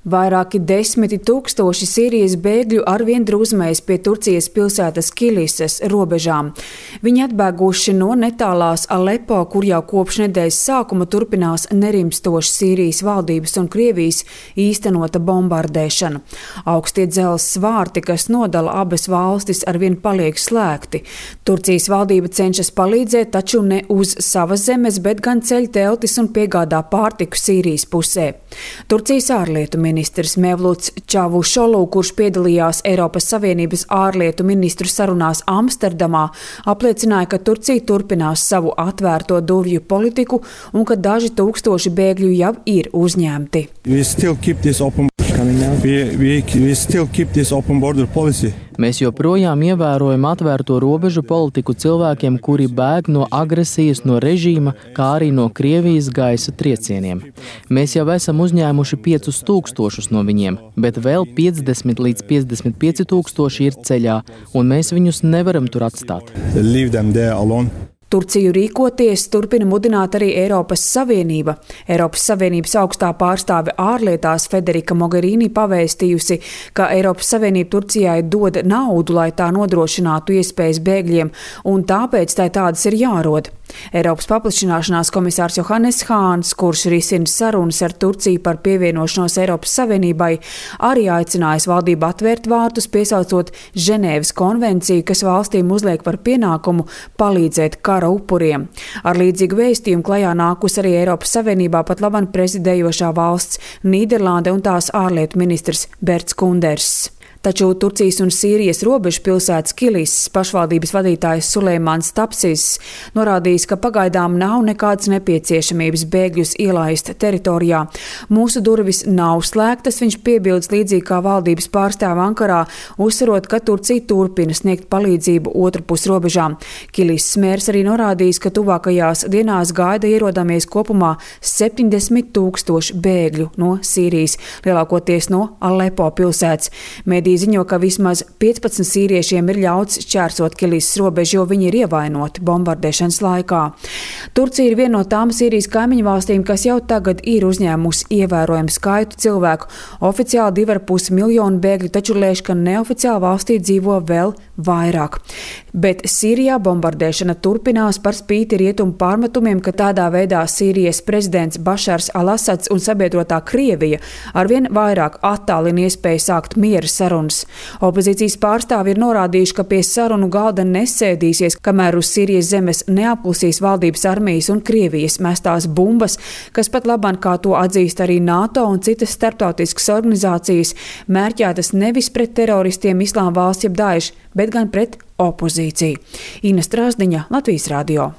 Vairāki 10 tūkstoši Sīrijas bēgļu arvien drūzmējas pie Turcijas pilsētas Kilises robežām. Viņi atbēguši no netālās Alepo, kur jau kopš nedēļas sākuma turpinās nerimstoša Sīrijas valdības un Krievijas īstenota bombardēšana. Augstie dzelzs svārti, kas nodala abas valstis, arvien paliek slēgti. Turcijas valdība cenšas palīdzēt, taču ne uz savas zemes, bet gan ceļ teltis un piegādā pārtiku Sīrijas pusē. Turcijas ārlietu ministrs Mevluts Čavušolu, kurš piedalījās Eiropas Savienības ārlietu ministru sarunās Amsterdamā, apliecināja, ka Turcija turpinās savu atvērto durvju politiku un ka daži tūkstoši bēgļu jau ir uzņemti. Mēs joprojām ievērojam atvērto robežu politiku cilvēkiem, kuri bēg no agresijas no režīma, kā arī no Krievijas gaisa triecieniem. Mēs jau esam uzņēmuši 5000 no viņiem, bet vēl 50 līdz 55 tūkstoši ir ceļā, un mēs viņus nevaram tur atstāt. Turciju rīkoties turpina mudināt arī Eiropas Savienība. Eiropas Savienības augstā pārstāve ārlietās Federika Mogherini pavēstījusi, ka Eiropas Savienība Turcijai dod naudu, lai tā nodrošinātu iespējas bēgļiem, un tāpēc tai tādas ir jārod. Eiropas paplašināšanās komisārs Johannes Hāns, kurš risina sarunas ar Turciju par pievienošanos Eiropas Savienībai, arī aicinājis valdību atvērt vārtus, piesaucot Ženēvas konvenciju, kas valstīm uzliek par pienākumu palīdzēt kara upuriem. Ar līdzīgu vēstījumu klajā nākus arī Eiropas Savienībā pat labam prezidējošā valsts Nīderlande un tās ārlietu ministrs Berts Kunders. Taču Turcijas un Sīrijas robežu pilsētas Kilises pašvaldības vadītājs Suleimans Tapsis norādījis, ka pagaidām nav nekādas nepieciešamības bēgļus ielaist teritorijā. Mūsu durvis nav slēgtas, viņš piebildes līdzīgi kā valdības pārstāve Ankarā, uzsverot, ka Turcija turpina sniegt palīdzību otrpus robežām. Kilises mērs arī norādījis, ka tuvākajās dienās gaida ierodamies kopumā 70 000 bēgļu no Sīrijas, lielākoties no Alepo pilsētas. Mediji ziņo, ka vismaz 15 sīriešiem ir ļauts šķērsot Kilises robežu, jo viņi ir ievainoti bombardēšanas laikā. Turcija ir viena no tām Sīrijas kaimiņu valstīm, kas jau tagad ir uzņēmusi ievērojumu skaitu cilvēku. Oficiāli 2,5 miljonu bēgļu, taču lēš, ka neoficiāli valstī dzīvo vēl vairāk. Bet Sīrijā bombardēšana turpinās par spīti rietumu pārmetumiem, ka tādā veidā Sīrijas prezidents Bašars al-Asads un sabiedrotā Krievija arvien vairāk attālina iespēju sākt miera sarunas. Opozīcijas pārstāvi ir norādījuši, ka pie sarunu galda nesēdīsies, kamēr uz Sīrijas zemes neapklusīs valdības armijas un Krievijas mestās bumbas, kas pat labāk, kā to atzīst arī NATO un citas starptautiskas organizācijas, mērķētas nevis pret teroristiem Islāma valsts jeb Daesh, bet gan pret opozīciju. Ina Strāzdiņa, Latvijas radio.